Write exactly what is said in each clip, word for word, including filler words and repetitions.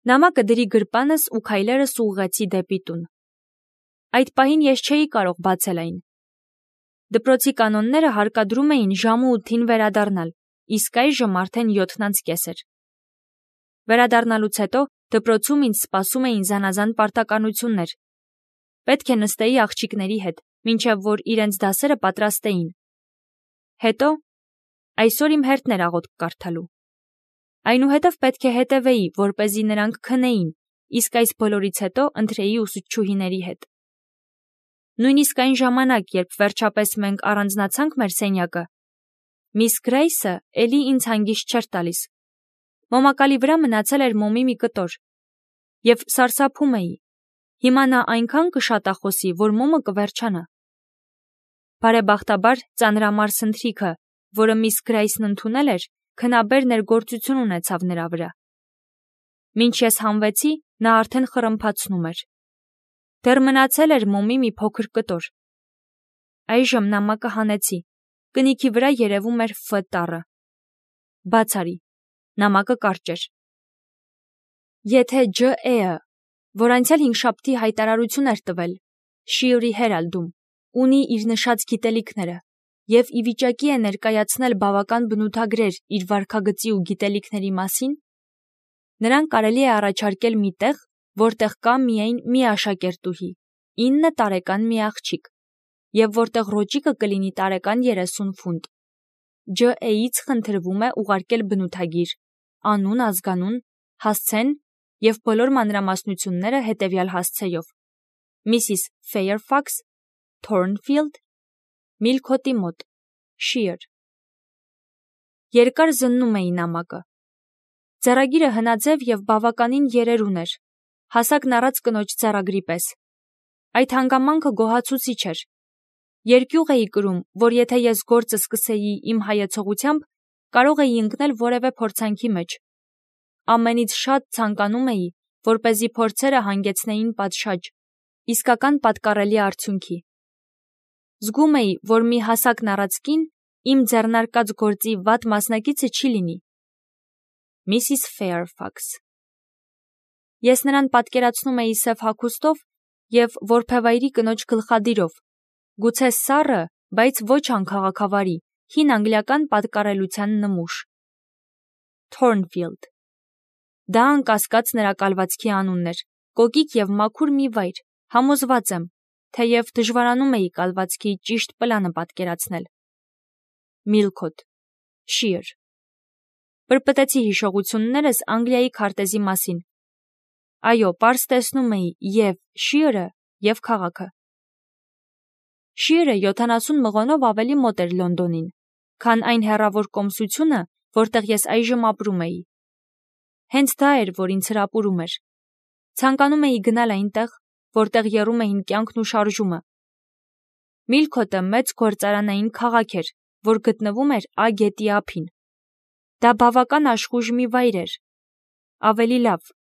Նամակը դրի գրպանս ու քայլերս ուղղեցի դեպի տուն։ Այդ պահին ես չէի կարող բացել այն։ Դպրոցի կանոնները հարկադրում էին ժամը ութին վերադառնալ, իսկ այժմ արդեն յոթն անց կես էր։ Վերադառնալուց հետո դպրոցում ինձ սպասում էին զանազան պարտականություններ։ Պետք է նստեի աղջիկների հետ, մինչև որ իրենց դասերը պատրաստեին։ Հետո այսօր իմ հերթն էր աղոթք կարդալու։ Այնուհետև պետք է հետևեի, որպեսզի նրանք քնեին, իսկ այս բոլորից հետո ընթրեի ուսուցչուհիների հետ։ Նույնիսկ այն ժամանակ, երբ վերջապես մենք առանձնացանք մեր սենյակը, միս Գրեյսը էլի ինձ հանգիստ չէր տալիս։ Մոմակալի վրա մնացել էր մոմի մի կտոր, և սարսափում էի։ Հիմա նա այնքան կշատախոսի, որ մոմը կվերջանա։ Բարեբախտաբար ծանրամարս ընթրիքը, որը միս Գրեյսն ընդունել էր, քնաբեր ներգործություն ունեցավ նրա վրա։ Մինչ ես հանվեցի, նա արդեն խռմփացնում էր։ Դեռ մնացել էր մոմի մի փոքր կտոր։ Այժմ նամակը հանեցի։ Կնիքի վրա երևում էր Ֆ տառը։ Բաց արի։ Նամակը կարճ էր։ Եթե Ջ E-ը, որ անցյալ հինգշաբթի հայտարարություն էր տվել Շիըրի Հերալդում, ունի իր նշած գիտելիքները և ի վիճակի է ներկայացնել բավական բնութագրեր իր վարքագծի ու գիտելիքների մասին, նրան կարելի է առաջարկել մի տեղ, որտեղ կա միայն մի աշակերտուհի, ինը տարեկան մի աղջիկ, և որտեղ ռոճիկը կլինի տարեկան երեսուն ֆունտ։ Ջ E-ից խնդրվում է ուղարկել բնութագիր, անուն, ազգանուն, հասցեն և բոլոր մանրամասնությունները հետևյալ հասցեով. Միսիս Ֆեյերֆաքս, Թորնֆիլդ, Միլքոթի մոտ, Շիըր։ Երկար զննում էի նամակը։ Ձեռագիրը հնաձև և բավականին երեր ուներ, հասակն առած կնոջ ձեռագրի պես։ Այդ հանգամանքը գոհացուցիչ էր։ Երկյուղ էի կրում, որ եթե ես գործը սկսեի իմ հայեցողությամբ, կարող էի ընկնել որևէ փորձանքի մեջ։ Ամենից շատ ցանկանում էի, որպեսզի փորձերը հանգեցնեին պատշաճ, իսկական պատկառելի արդյունքի։ Զգում էի, որ մի հասակն առած կին իմ ձեռնարկած գործի վատ մասնակիցը չի լինի։ Միսիս Ֆեյերֆաքս։ Ես նրան պատկերացնում էի սև հագուստով և որբևայրի կնոջ գլխադիրով, գուցե սառը, բայց ոչ անքաղաքավարի, հին անգլիական պատկառելության նմուշ։ Թորնֆիլդ։ Դա անկասկած նրա կալվածքի անունն էր, կոկիկ և մաքուր մի վայր, համոզված եմ, թեև դժվարանում էի կալվածքի ճիշտ պլանը պատկերացնել։ Միլքոթ, Շիըր։ Պրպտեցի հիշողություններս Անգլիայի քարտեզի մասին։ Այո, պարզ տեսնում էի և Շիըրը, և քաղաքը։ Շիըրը յոթանասուն մղոնով ավելի մոտ էր Լոնդոնին, քան այն հեռավոր կոմսությունը, որտեղ ես այժմ ապրում էի։ Հենց դա էր, որ ինձ հրապուրում էր։ Ցանկանում էի գնալ այնտեղ, որտեղ եռում էին կյանքն ու շարժումը։ Միլքոթը մեծ գործարանային քաղաք էր, որ գտնվում էր Ա գետի ափին։ Դա բավական աշխույժ մի վայր էր։ Ավելի լավ։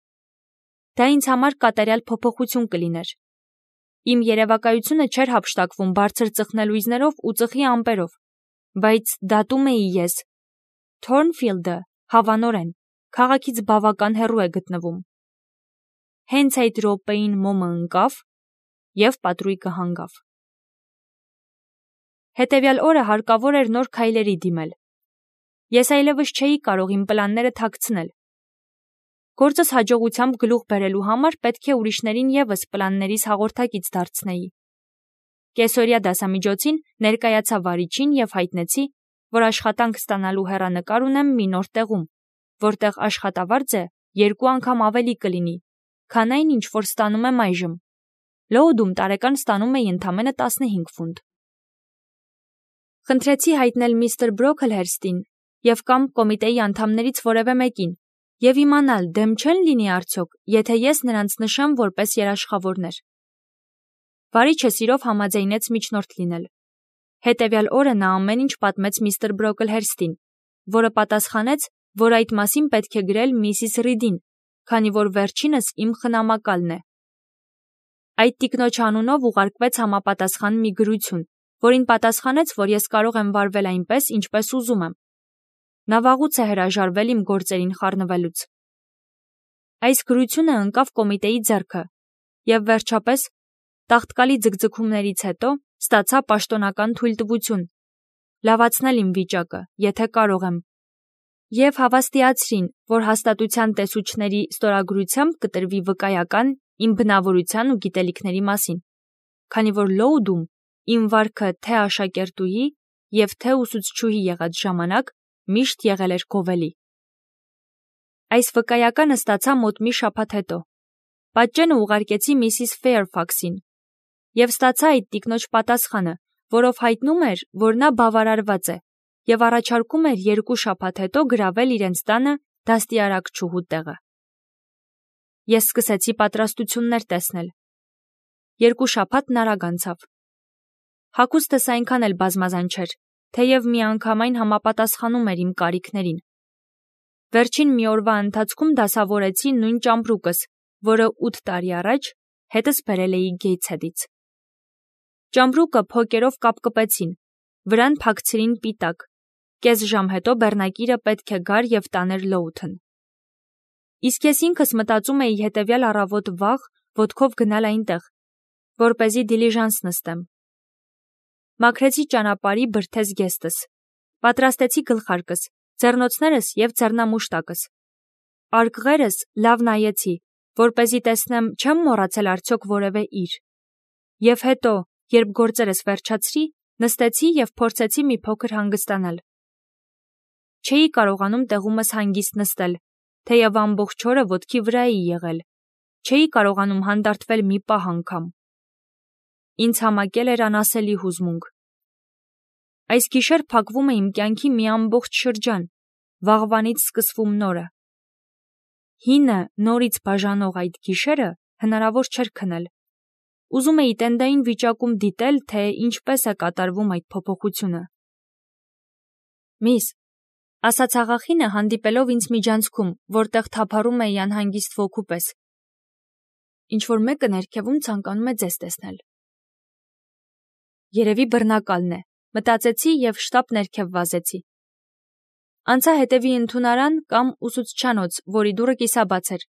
Դա ինձ համար կատարյալ փոփոխություն կլիներ։ Իմ երևակայությունը չէր հափշտակվում բարձր ծխնելույզներով ու ծխի ամպերով, բայց դատում էի ես։ Թորնֆիլդը, հավանորեն, քաղաքից բավական հեռու է գտնվում։ Հենց այդ րոպեին մոմը ընկավ և պատրույգը հանգավ։ Հետևյալ օրը հարկավոր էր նոր քայլերի դիմել։ Ես այլևս չէի կարող իմ պլանները թաքցնել։ Գործս հաջողությամբ գլուխ բերելու համար պետք է ուրիշներին ևս պլաններիս հաղորդակից դարձնեի։ Կեսօրյա դասամիջոցին ներկայացա վարիչին և հայտնեցի, որ աշխատանք ստանալու հեռանկար ունեմ մի նոր տեղում, որտեղ աշխատավարձը երկու անգամ ավելի կլինի, քան այն, ինչ որ ստանում եմ այժմ։ Լոուդում տարեկան ստանում էի ընդամենը տասնհինգ ֆունտ։ Խնդրեցի հայտնել միստր Բրոքլհերստին և կամ կոմիտեի անդամներից որևէ մեկին և իմանալ դեմ չեն լինի արդյոք, եթե ես նրանց նշեմ որպես երաշխավորներ։ Վարիչը սիրով համաձայնեց միջնորդ լինել։ Հետևյալ օրը նա ամեն ինչ պատմեց միստր Բրոքլհերստին, որը պատասխանեց, որ այդ մասին պետք է գրել միսիս Ռիդին, քանի որ վերջինս իմ խնամակալն է։ Այդ տիկնոջ անունով ուղարկվեց համապատասխան մի գրություն, որին պատասխանեց, որ ես կարող եմ վարվել այնպես, ինչպես ուզում եմ։ Նա վաղուց է հրաժարվել իմ գործերին խառնվելուց։ Այս գրությունը ընկավ կոմիտեի ձեռքը և վերջապես տաղտկալի ձգձգումներից հետո ստացա պաշտոնական թույլտվություն լավացնել իմ վիճակը, եթե կարող եմ, և հավաստիացրին, որ հաստատության տեսուչների ստորագրությամբ կտրվի վկայական իմ բնավորության ու գիտելիքների մասին, քանի որ Լոուդում իմ վարքը թե աշակերտուհի և թե ուսուցչուհի եղած ժամանակ միշտ եղել էր գովելի։ Այս վկայականը ստացա մոտ մի շաբաթ հետո։ Պատճենը ուղարկեցի միսիս Ֆեյրֆաքսին և ստացա այդ տիկնոջ պատասխանը, որով հայտնում էր, որ նա բավարարված է և առաջարկում էր երկու շաբաթ հետո գրավել իրենց տանը դաստիարակչուհու տեղը։ Ես սկսեցի պատրաստություններ տեսնել։ Երկու շաբաթն արագ անցավ։ Հագուստս այնքան էլ բազմազան չէր, թեև միանգամայն համապատասխանում էր իմ կարիքներին։ Վերջին մի օրվա ընթացքում դասավորեցի նույն ճամպրուկս, որը ութ տարի առաջ հետս բերել էի Գեյթսհեդից։ Ճամպրուկը փոկերով կապկպեցին, վրան փակցրին պիտակ, կես ժամ հետո բեռնակիրը պետք է գար և տաներ Լոութն։ Իսկ ես ինքս մտածում էի հետևյալ առավոտ վաղ ոտքով գնալ այնտեղ, որպեսզի դիլիժանս նստեմ։ Մաքրեցի ճանապարհի բրդե զգեստս, պատրաստեցի գլխարկս, ձեռնոցներս և ձեռնամուշտակս։ Արկղերս լավ նայեցի, որպեսզի տեսնեմ չեմ մոռացել արդյոք որևէ իր։ Եվ հետո, երբ գործերս վերջացրի, նստեցի և փորձեցի մի փոքր հանգստանալ։ Չէի կարողանում տեղումս հանգիստ նստել, թեև ամբողջ օրը ոտքի վրա էի եղել, չէի կարողանում հանդարտվել մի պահ անգամ։ Ինձ համակել էր անասելի հուզմունք։ Այս գիշեր փակվում է իմ կյանքի մի ամբողջ շրջան, վաղվանից սկսվում նորը։ Հինը նորից բաժանող այդ գիշերը հնարավոր չէր քնել։ Ուզում էի տենդային վիճակում դիտել, թե ինչպես է կատարվում այդ փոփոխությունը։ Միս, ասաց աղախինը հանդիպելով ինձ միջանցքում, որտեղ թափառում էի անհանգիստ ոգու պես։ Ինչ-որ մեկը ներքևում ցանկանում է ձեզ տեսնել։ Երևի բռնակալն է, մտածեցի և շտապ ներքև վազեցի։ Անցա հետևի ընդունարան կամ ուսուցչանոց, որի դուռը կիսաբաց էր,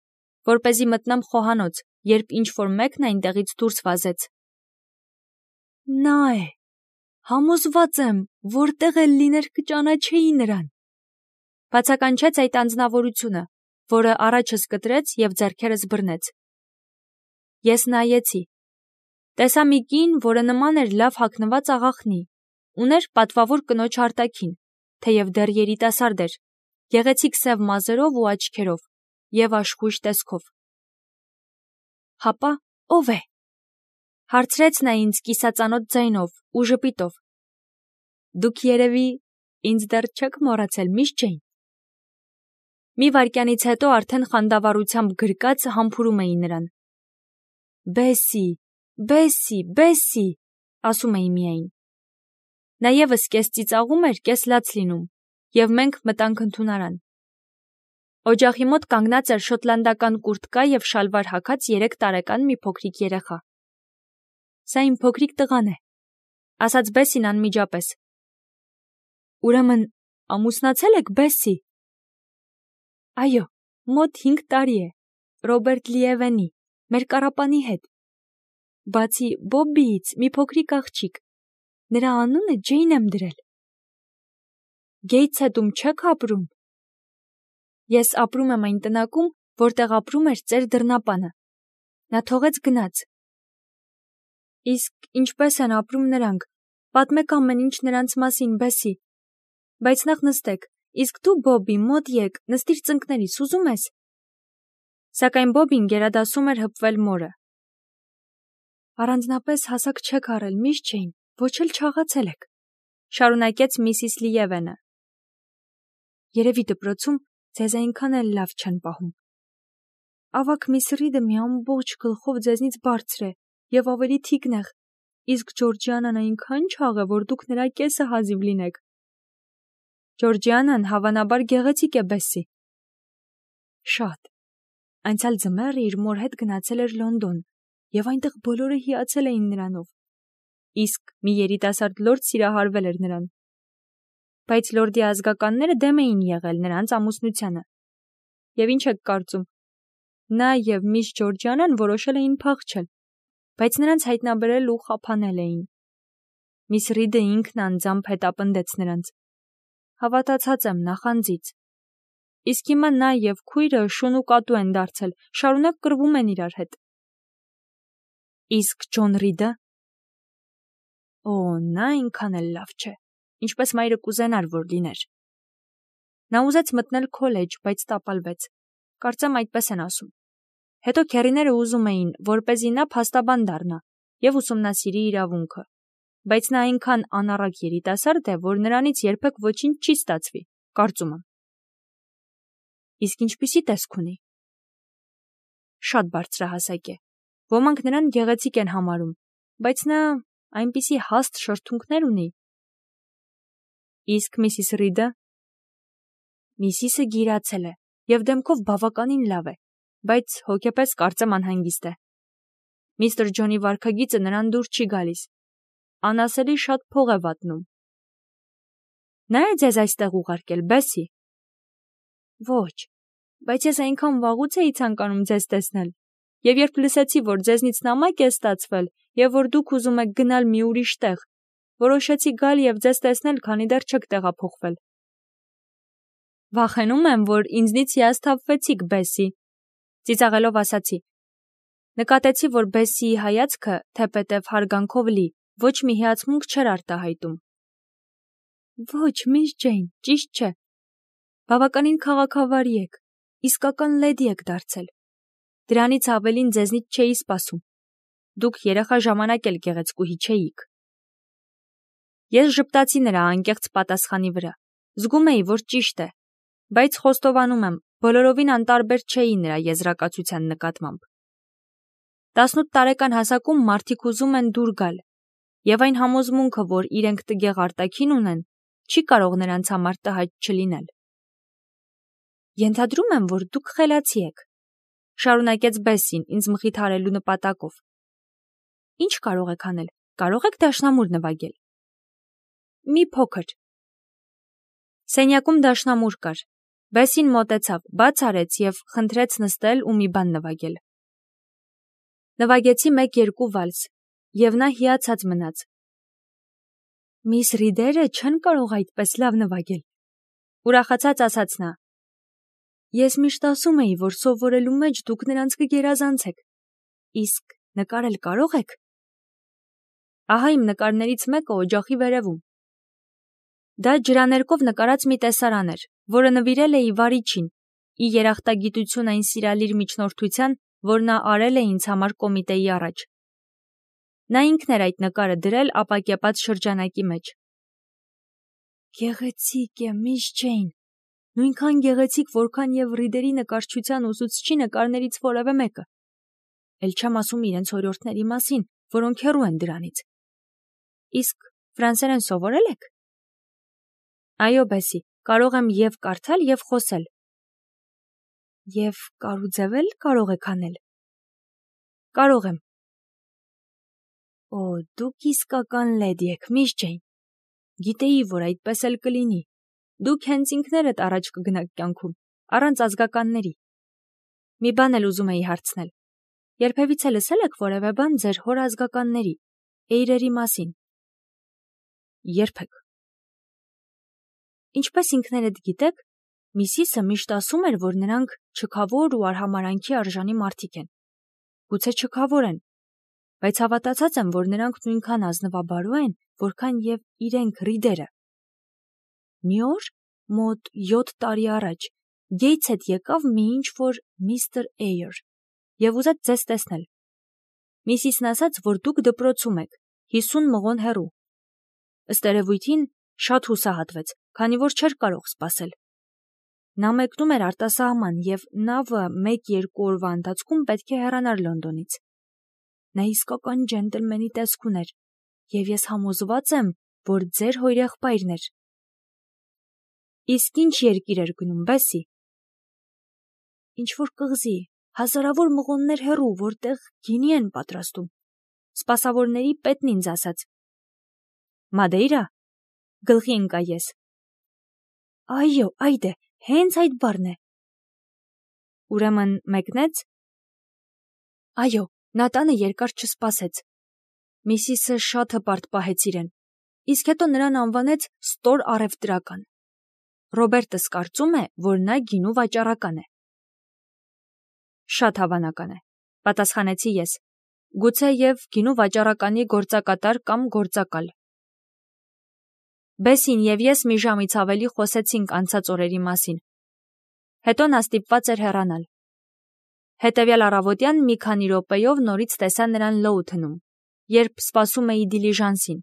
որպեսզի մտնեմ խոհանոց, երբ ինչ-որ մեկն այնտեղից դուրս վազեց։ Նա է, համոզված եմ, որտեղ էլ լիներ կճանաչեի նրան, բացականչեց այդ անձնավորությունը, որը առաջս կտրեց և ձեռքերս բռնեց։ Ես նայեցի։ Տեսա մի կին, որը նման էր լավ հագնված աղախնի, ուներ պատվավոր կնոջ արտաքին, թեև դեռ երիտասարդ էր, գեղեցիկ սև մազերով ու աչքերով և աշխույժ տեսքով։ Հապա ո՞վ է, հարցրեց նա ինձ կիսածանոթ ձայնով ու ժպիտով։ Դուք երևի ինձ դեռ չեք մոռացել, միս Ջեյն։ Մի վայրկյանից հետո արդեն խանդավառությամբ գրկած համբուրում էի նրան։ Բեսսի, Բեսսի, Բեսսի, ասում էի միայն։ Նա ևս կես ծիծաղում էր, կես լաց լինում, և մենք մտանք ընդունարան։ Օջախի մոտ կանգնած էր շոտլանդական կուրտկա և շալվար հագած երեք տարեկան մի փոքրիկ երեխա։ Սա իմ փոքրիկ տղան է, ասաց Բեսսին անմիջապես։ Ուրեմն ամուսնացել եք, Բեսսի։ Այո, մոտ հինգ տարի է, Ռոբերտ Լիևենի, մեր կառապանի հետ։ Բացի Բոբբիից մի փոքրիկ աղջիկ, նրա անունը Ջեյն եմ դրել։ Գեյթսհեդում չեք ապրում։ Ես ապրում եմ այն տնակում, որտեղ ապրում էր ծեր դռնապանը։ Նա թողեց գնաց։ Իսկ ինչպես են ապրում նրանք, պատմեք ամեն ինչ նրանց մասին, Բեսսի։ Բայց նախ նստեք, իսկ դու, Բոբբի, մոտ եկ, նստիր ծնկներիս, ուզում ես։ Սակայն Բոբբին գերադասում էր հպվել մորը։ Առանձնապես հասակ չեք առել, միս Ջեյն, ոչ էլ չաղացել եք, շարունակեց միսիս Լիևենը։ Երևի դպրոցում ձեզ այնքան էլ լավ չեն պահում։ Ավագ միս Ռիդը մի ամբողջ գլխով ձեզնից բարձր է և ավելի թիկնեղ, իսկ Ջորջիանան այնքան չաղ է, որ դուք նրա կեսը հազիվ լինեք։ Ջորջիանան հավանաբար գեղեցիկ է, Բեսսի։ Շատ։ Անցյալ ձմեռը իր մոր հետ գնացել էր Լոնդոն, և այնտեղ բոլորը հիացել էին նրանով։ Իսկ մի երիտասարդ լորդ սիրահարվել էր նրան։ Բայց լորդի ազգականները դեմ էին եղել նրանց ամուսնությանը։ Եվ ինչ եք կարծում։ նա և միս Ջորջանան որոշել էին փախչել, բայց նրանց հայտնաբերել ու խափանել էին։ Միս Ռիդը ինքն անձամբ հետապնդեց նրանց։ Հավատացած եմ, նախանձից։ Իսկ հիմա նա և քույրը շուն ու կատու են դարձել, շարունակ կռվում են իրար հետ։ Իսկ Ջոն Ռիդը։ Օ, նա այնքան էլ լավ չէ, ինչպես մայրը կուզենար, որ լիներ։ Նա ուզեց մտնել քոլեջ, բայց տապալվեց։ Կարծեմ այդպես են ասում։ Հետո քեռիները ուզում էին, որպեսզի նա փաստաբան դառնա և ուսումնասիրի իրավունքը, բայց նա այնքան անառակ երիտասարդ է, որ նրանից երբեք ոչինչ չի ստացվի, կարծում եմ։ Իսկ ինչպիսի տեսք ունի։ Շատ բարձրահասակ է։ Ոմանք նրան գեղեցիկ են համարում, բայց նա այնպիսի հաստ շրթունքներ ունի։ Իսկ Միսիս Ռիդը։ Միսիսը գիրացել է և դեմքով բավականին լավ է, բայց հոգեպես կարծեմ անհանգիստ է։ Միստր Ջոնի վարքագիծը նրան դուր չի գալիս։ Անասելի շատ փող է վատնում։ Նա է ձեզ այստեղ ուղարկել, Բեսի։ Ոչ, բայց ես այնքան վաղուց էի ցանկանում ձեզ տեսնել, և երբ լսեցի, որ ձեզնից նամակ է ստացվել և որ դուք ուզում եք գնալ մի ուրիշ տեղ, որոշեցի գալ և ձեզ տեսնել, քանի դեռ չեք տեղափոխվել։ Վախենում եմ, որ ինձնից հիասթափվեցիք, Բեսի, ծիծաղելով ասացի։ Նկատեցի, որ Բեսիի հայացքը, թեպետև հարգանքով լի, ոչ մի հիացմունք չէր արտահայտում։ Ոչ, միս Ջեյն, ճիշտ չէ։ Բավականին քաղաքավարի եք, իսկական լեդի եք դարձել։ Դրանից ավելին ձեզնից չէի սպասում։ Դուք երեխա ժամանակ էլ գեղեցկուհի չէիք։ Ես ժպտացի նրա անկեղծ պատասխանի վրա։ Զգում էի, որ ճիշտ է, բայց խոստովանում եմ, բոլորովին անտարբեր չէի նրա եզրակացության նկատմամբ։ Տասնութ տարեկան հասակում մարդիկ ուզում են դուր գալ, և այն համոզմունքը, որ իրենք տգեղ արտաքին ունեն, չի կարող նրանց համար տհաճ չլինել։ Ենթադրում եմ, որ դուք խելացի եք, շարունակեց Բեսին ինձ մխիթարելու նպատակով։ Ինչ կարող եք անել, կարող եք դաշնամուր նվագել։ Մի փոքր։ Սենյակում դաշնամուր կար։ Բեսին մոտեցավ, բաց արեց և խնդրեց նստել ու մի բան նվագել։ Նվագեցի մեկ-երկու վալս, և նա հիացած մնաց։ Միս Ռիդերը չեն կարող այդպես լավ նվագել, ուրախացած ասաց նա։ Ես միշտ ասում էի, որ սովորելու մեջ դուք նրանց կգերազանցեք։ Իսկ նկարել կարող եք։ Ահա իմ նկարներից մեկը օջախի վերևում։ Դա ջրաներկով նկարած մի տեսարան էր, որը նվիրել էի վարիչին, ի երախտագիտություն այն սիրալիր միջնորդության, որ նա արել է ինձ համար կոմիտեի առաջ։ Նա ինքն էր այդ նկարը դրել ապակեպած շրջանակի մեջ։ Գեղեցիկ է, միս Ջեյն, նույնքան գեղեցիկ, որքան և Ռիդերի նկարչության ուսուցչի նկարներից որևէ մեկը։ Էլ չեմ ասում իրենց օրիորդների մասին, որոնք հեռու են դրանից։ Իսկ ֆրանսերեն սովորել եք։ Այո, Բեսի, կարող եմ և կարդալ, և խոսել։ Եվ կարուձևել կարող եք անել։ Կարող եմ։ Օ, դուք իսկական լեդի եք, միս Ջեյն։ Գիտեի, որ այդպես էլ կլինի։ Դուք հենց ինքներդ առաջ կգնաք կյանքում, առանց ազգականների։ Մի բան էլ ուզում էի հարցնել։ Երբևիցե լսել եք որևէ բան ձեր հոր ազգականների, էյրերի մասին։ Երբեք։ Ինչպես ինքներդ գիտեք, Միսիսը միշտ ասում էր, որ նրանք չքավոր ու արհամարհանքի արժանի մարդիկ են։ Գուցե չքավոր են, բայց հավատացած եմ, որ նրանք նույնքան ազնվաբարո են, որքան և իրենք Ռիդերը։ Մի օր, մոտ յոթ տարի առաջ, Գեյթս հետ եկավ մի ինչ-որ միստր Էյր և ուզեց ձեզ տեսնել։ Միսիսն ասաց, որ դուք դպրոցում եք, հիսուն մղոն հեռու։ Ըստ երևույթին շատ հուսահատվեց, քանի որ չէր կարող սպասել։ Նա մեկնում էր արտասահման և նավը մեկ-երկու օրվա ընթացքում պետք է հեռանար Լոնդոնից։ Նա իսկական ջենտլմենի տեսք ուներ, և ես համոզված եմ, որ ձեր հորեղբայրն էր։ Իսկ ինչ երկիր էր գնում, Բեսի։ Ինչ-որ կղզի, հազարավոր մղոններ հեռու, որտեղ գինի են պատրաստում։ Սպասավորների պետն ինձ ասաց։ Մադեյրա։ Գլխի ընկա ես։ Այո, այդ է, հենց այդ բառն է։ Ուրեմն մեկնեց, Այո, նա տանը երկար չսպասեց։ Միսիսը շատ հպարտ պահեց իրեն, իսկ հետո նրան անվանեց ստոր առևտրական։ Ռոբերտս կարծում է, որ նա գինու վաճառական է։ Շատ հավանական է, պատասխանեցի ես, գուցե և գինու վաճառականի գործակատար կամ գործակալ։ Բեսին և ես մի ժամից ավելի խոսեցինք անցած օրերի մասին։ Հետո նա ստիպված էր հեռանալ։ Հետևյալ առավոտյան մի քանի րոպեով նորից տեսա նրան Լոութնում, երբ սպասում էի դիլիժանսին։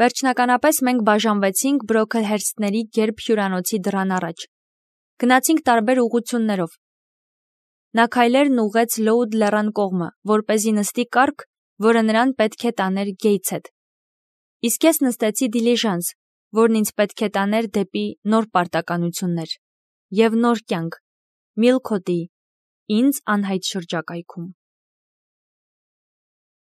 Վերջնականապես մենք բաժանվեցինք Բրոքլհերսթների գերբ հյուրանոցի դռան առաջ։ Գնացինք տարբեր ուղղություններով։ Նա քայլերն ուղղեց Լոութ լեռան կողմը, որպեսզի նստի կառք, որը նրան պետք է տաներ Գեյթսհեդ։ Իսկ ես նստեցի դիլիժանս, որն ինձ պետք է տաներ դեպի նոր պարտականություններ և նոր կյանք, Միլքոթի, ինձ անհայտ շրջակայքում։